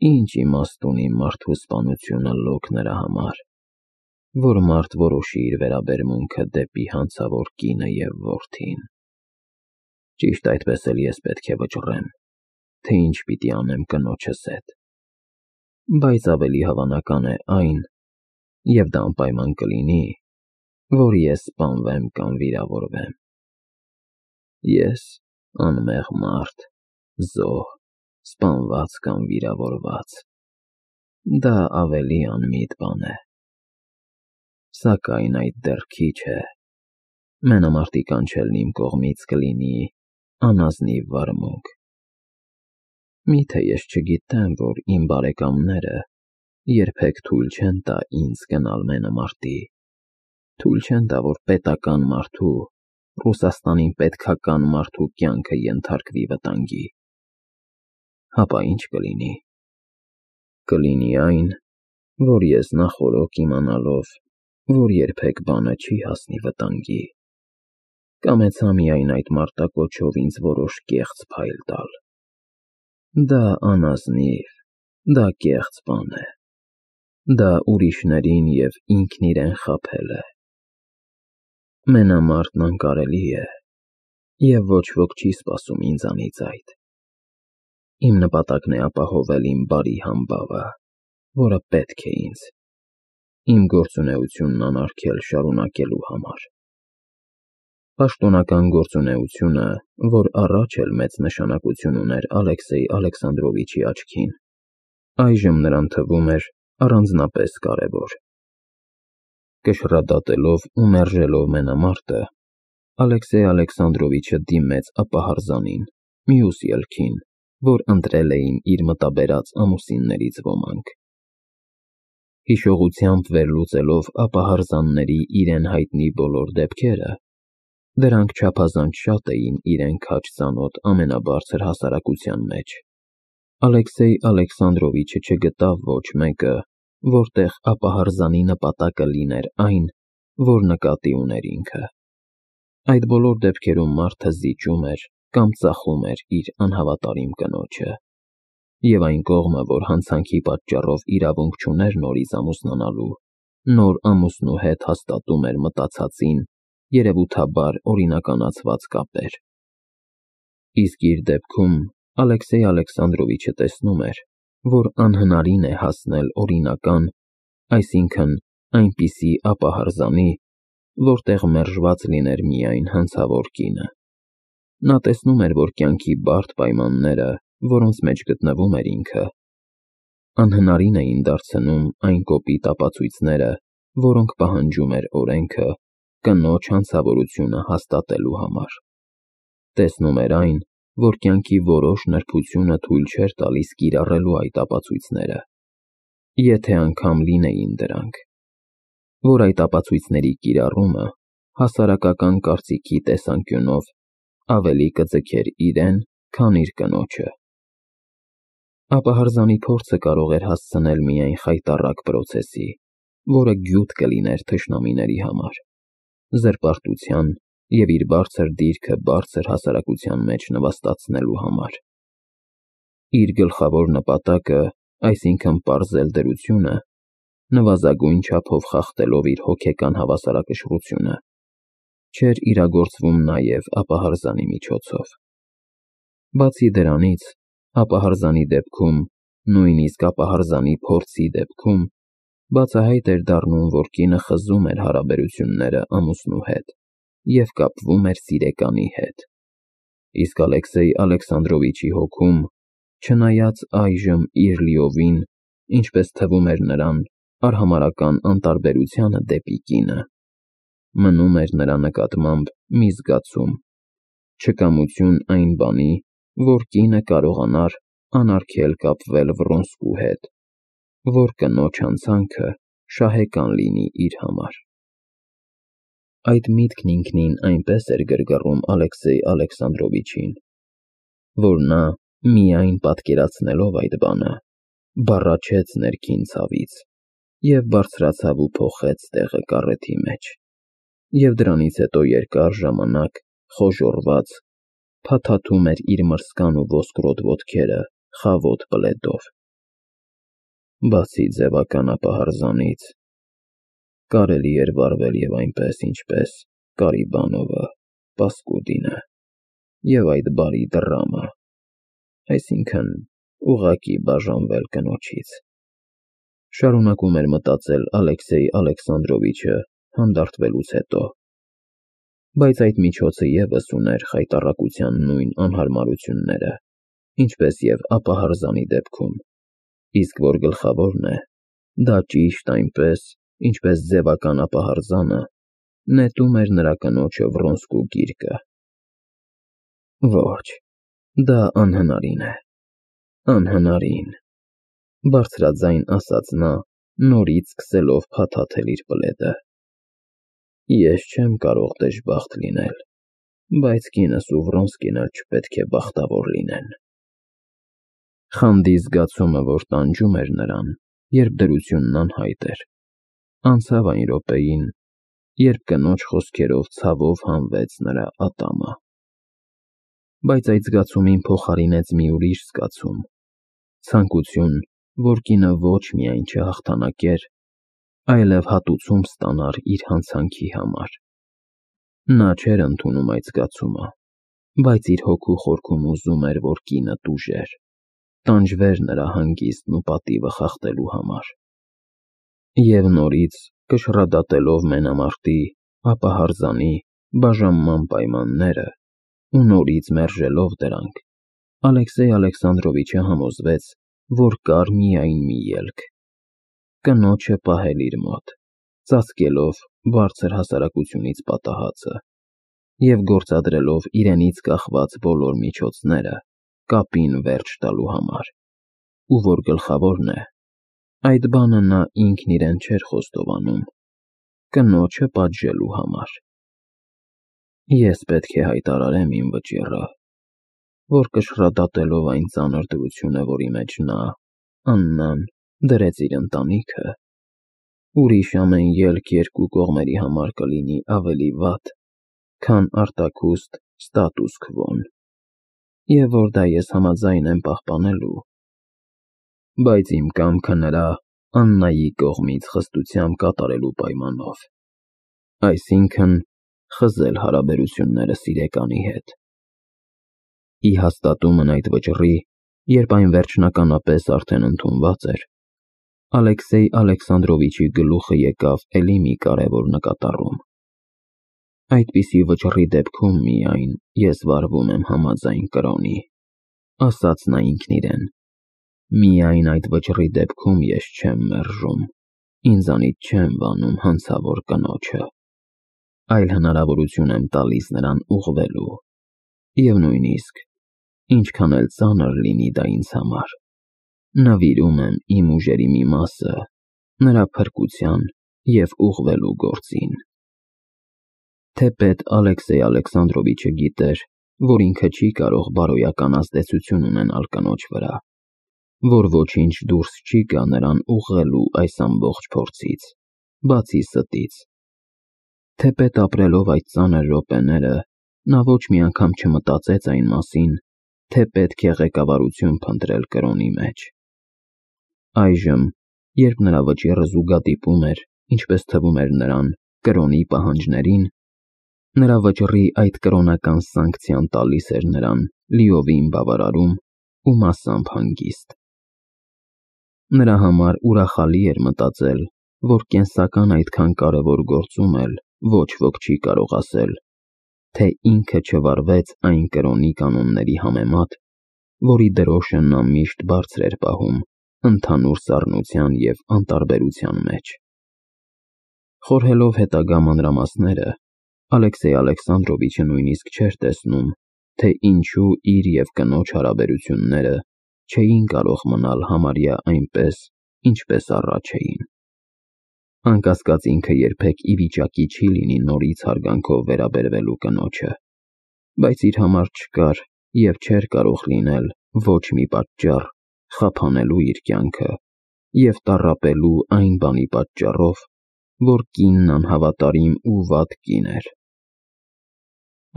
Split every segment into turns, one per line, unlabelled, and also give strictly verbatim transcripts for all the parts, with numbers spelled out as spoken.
Ինչ իմաստ ունի մարդու սպանությունը լոկ նրա համար, որ մարդ որոշի իր վերաբերմունքը դեպի հանցավոր կինը և որդին։ Ճիշտ այդպես էլ ես պետք է վճռեմ, թե ինչ պիտի անեմ կնոջս հետ, բայց ավելի հավանական է այն, և դա անպայման կլինի, որ ես սպանվեմ կամ վիրավորվեմ։ Ես անմեղ մարդ, զոհ, սպանված կամ վիրավորված, դա ավելի անմիտ բան է։ Սակայն այդ դեռ քիչ է, մենամարտի կանչելն իմ կողմից կլինի անազնիվ վարմունք։ Միթե ես չգիտեմ, որ իմ բարեկամները երբեք թույլ չեն տա ինձ գնալ մենամարտի, թույլ չեն տա, որ պետական մարդու, Ռուսաստանին պետքական մարդու կյանքը ենթարկվի վտանգի։ Հապա ի՞նչ կլինի։ Կլինի այն, որ ես նախօրոք իմանալով, որ երբեք բանը չի հասնի վտանգի, կամեցա միայն այդ մարտակոչով ինձ որոշ կեղծ փայլ տալ։ Դա անազնիվ, դա կեղծ բան է, դա ուրիշներին և ինքն իրեն խաբել է։ Մենամարտն անկարելի է, և ոչ ոք չի սպասում ինձանից այդ։ Իմ նպատակն է ապահովել իմ բարի համբավը, որը պետք է ինձ, իմ գործունեությունն անարգել շարունակելու համար։ Պաշտոնական գործունեությունը, որ առաջ էլ մեծ նշանակություն ուներ Ալեքսեյ Ալեքսանդրովիչի աչքին, այժմ նրան թվում էր առանձնապես կարևոր։ Կշռադատելով ու մերժելով մենամարտը, Ալեքսեյ Ալեքսանդրովիչը դիմեց ապահարզանին, մյուս ելքին, որ ընտրել էին իր մտաբերած ամուսիններից ոմանք։ Հիշողությամբ վերլուծելով ապահարզանների իրեն հայտնի բոլոր դեպքերը, դրանք չափազանց շատ էին իրեն քաջ ծանոթ ամենաբարձր հասարակության մեջ, Ալեքսեյ Ալեքսանդրովիչը չգտավ ոչ մեկը, որտեղ ապահարզանի նպատակը լիներ այն, որ նկատի ուներ ինքը։ Այդ բոլոր դեպքերում մարդը զիջում էր կամ ծախում էր իր անհավատարիմ կնոջը, և այն կողմը, որ հանցանքի պատճառով իրավունք չուներ նորից ամուսնանալու, նոր ամուսնու հետ հաստատում էր մտածածին երևութաբար օրինականացված կապեր։ Իսկ իր դեպքում Ալեքսեյ Ալեքսանդրովիչը տեսնում էր, որ անհնարին է հասնել օրինական, այսինքն այնպիսի ապահարզանի, որտեղ մերժված լիներ միայն հանցավոր կինը։ Նա տեսնում էր, որ կյանքի բարդ պայմանները, որոնց մեջ գտնվում էր ինքը, անհնարին էին դարձնում այն կոպիտ ապացույցները, որոնք պահանջում էր օրենքը կնոջ հանցավորությունը հաստատելու համար։ Տեսնում էր այն, որ կյանքի որոշ նրբությունը թույլ չէր տալիս կիրառելու այդ ապացույցները, եթե անգամ լինեին դրանք, որ այդ ապացույցների կիրառումը հասարակական կարծիքի տեսանկյունով ավելի կձգեր իրեն, քան իր կնոջը։ Ապահարզանի փորձը կարող էր հասցնել միայն խայտառակ պրոցեսի, որը գյուտ կլիներ թշնամիների համար, զրպարտության և իր բարձր դիրքը բարձր հասարակության մեջ նվաստացնելու համար։ Իր գլխավոր նպատակը, այսինքն պարզել դրությունը, նվազագույն չափով խախտելով իր հոգեկան հավասարակշռությունը, չէր իրագործվում նաև ապահարզանի միջոցով։ Բացի դրանից, ապահարզանի դեպքում, նույնիսկ ապահարզանի փորձի դեպքում, բացահայտ էր դառնում, որ կինը խզում էր հարաբերությունները ամուսնու հետ և կապվում էր սիրեկանի հետ։ Իսկ Ալեքսեյ Ալեքսանդրովիչի հոգում, չնայած այժմ իր լիովին, ինչպես թվում էր նրան, արհամարհական անտարբերությանը դեպի կինը, մնում էր նրա նկատմամբ մի զգացում, չկամություն այն բանի, որ կինը կարողանար անարգել կապվել Վռոնսկու հետ, որ կնոջ հանցանքը շահեկան լինի իր համար։ Այդ միտքն ինքնին այնպես էր գրգռում Ալեքսեյ Ալեքսանդրովիչին, որ նա, միայն պատկերացնելով այդ բանը, բառաչեց ներքին ցավից և բարձրացավ ու փոխեց տեղը կառեթի մեջ, և դրանից հետո երկար ժամանակ, խոժոռված, փաթաթում էր իր մրսկան ու ոսկրոտ ոտքերը խավոտ պլեդով։ Բացի ձևական ապահարզանից, կարելի էր վարվել և այնպես, ինչպես Կարիբանովը, Պասկուդինը և այդ բարի դռամը, այսինքն՝ ուղղակի բաժանվել կնոջից։ Շարունակում էր մտածել Ալեքսեյ Ալեքսանդրովիչը հանդարտվելուց հետո, բայց այդ միջոցը ևս ուներ խայտառակության նույն անհարմարությունները, ինչպես և ապահարզանի դեպքում, իսկ որ գլխավորն է, դա ճիշտ այնպես, ինչպես ձևական ապահարզանը նետում էր նրա կնոջը Վրոնսկու գիրկը։ Ոչ, դա անհնարին է, անհնարին, բարձրաձայն ասաց նա, նորից սկսելով փաթաթել իր պլեդը։ Ես չեմ կարող դժբախտ լինել, բայց կինս ու Վրոնսկին էլ չպետք է բախտավոր լինեն։ Խանդի զգացումը, որ տանջում էր նրան, երբ դրությունն անհայտ էր, անցավ այն րոպեին, երբ կնոջ խոսքերով ցավով հանվեց նրա ատամը։ Բայց այդ զգացումին փոխարինեց մի ուրիշ զգացում, ցանկություն, որ կինը ոչ միայն չհաղթանակեր, այլև հատուցում ստանար իր հանցանքի համար։ Նա չէր ընդունում այդ զգացումը, բայց իր հոգու խորքում ուզում էր, որ կինը տուժեր, տանջվեր նրա հանգիստն ու պատիվը խախտելու համար։ Եվ նորից, կշռադատելով մենամարտի, ապահարզանի, բաժանման պայմանները ու նորից մերժելով դրանք, Ալեքսեյ Ալեքսանդրովիչը համոզվեց, որ կար միայն մի ելք՝ կնոջը պահել իր մոտ, ծածկելով բարձր հասարակությունից պատահածը և գործադրելով իրենից կախված բոլոր միջոցները կապին վերջ տալու համար, ու որ գլխավորն է, այդ բանը նա ինքն իրեն չէր խոստովանում, կնոջը պատժելու համար։ Ես պետք է հայտարարեմ իմ վճիռը, որ կշռադատելով այն ծանր դրությունը, որի մեջ նա, Աննան, դրեց իր ընտանիքը, ուրիշ ամեն ելք երկու կողմերի համար կլինի ավելի վատ, քան արտաքուստ ստատուս քվոն, և որ դա ես համաձայն եմ պահպանելու, բայց իմ կամքը նրա Աննայի կողմից խստությամբ կատարելու պայմանով, այսինքն՝ խզել հարաբերություններս իրեկանի հետ։ Ի հաստատումն այդ վճռի, երբ այն վերջնականապես արդեն ընդունված էր, Ալեքսեյ Ալեքսանդրովիչի գլուխը եկավ էլի մի կարևոր նկատառում։ Այդպիսի վճռի դեպքում միայն ես վարվում եմ համաձայն կրոնի, ասաց նա ինքն իրեն, միայն այդ վճռի դեպքում ես չեմ մերժում, ինձանից չեմ վանում հանցավոր կնոջը, այլ հնարավորություն եմ տալիս նրան ուղղվելու, և նույնիսկ, ինչքան էլ ծանր լինի դա ինձ համար, նվիրում եմ իմ ուժերի մի մասը նրա փրկության և ուղղվելու գործին։ Թեպետ Ալեքսեյ Ալեքսանդրովիչը գիտեր, որ ինքը չի կարող բարոյական ազդեցություն ունենալ կնոջ վրա, որ ոչինչ դուրս չի գա նրան ուղղելու այս ամբողջ փորձից, բացի ստից։ Թեպետ ապրելով այդ ծանր րոպեները, նա ոչ մի անգամ չմտածեց այն մասին, թե պետք է ղեկավարություն փնտրել կրոնի մեջ։ Այժմ, երբ նրա վճիռը զուգադիպում էր, ինչպես թվում էր նրան, կրոնի պահանջներին, նրա վճռի այդ կրոնական սանկցիան տալիս էր նրան լիովին բավարարում ու մասամբ հանգիստ։ Նրա համար ուրախալի էր մտածել, որ կենսական այդքան կարևոր գործում էլ ոչ ոք չի կարող ասել, թե ինքը չվարվեց այն կրոնի կանոնների համեմատ, որի դրոշը նա միշտ բարձր էր պահում ընդհանուր սառնության և անտարբերության մեջ։ Խորհելով հետագա մանրամասները, Ալեքսեյ Ալեքսանդրովիչը նույնիսկ չէր տեսնում, թե ինչու իր և կնոջ հարաբերությունները չէին կարող մնալ համարյա այնպես, ինչպես առաջ էին։ Անկասկած ինքը երբեք ի վիճակի չի լինի նորից հարգանքով վերաբերվելու կնոջը, բայց իր համար չկար և չէր կարող լինել ոչ մի պատճառ խափանելու իր կյանքը և տառապելու այն բանի պատճառով, որ կինն անհավատարիմ ու վատ կին էր։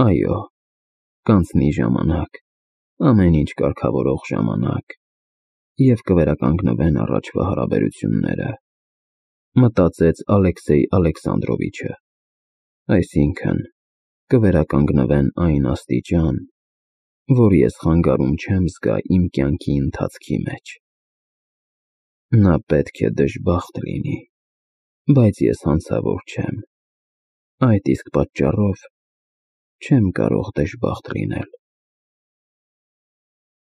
Այո, կանցնի ժամանակ, ամեն ինչ կարգավորող ժամանակ, և կվերականգնվեն առաջվա հարաբերությունները, մտածեց Ալեքսեյ Ալեքսանդրովիչը, այսինքն կվերականգնվեն այն աստիճան, որ ես խանգարում չեմ զգա իմ կյանքի ընթացքի մեջ։ Նա պետք է դժբախտ լինի, բայց ես հանցավոր չեմ, այդ իսկ պատճառով չեմ կարող դժբախտ լինել։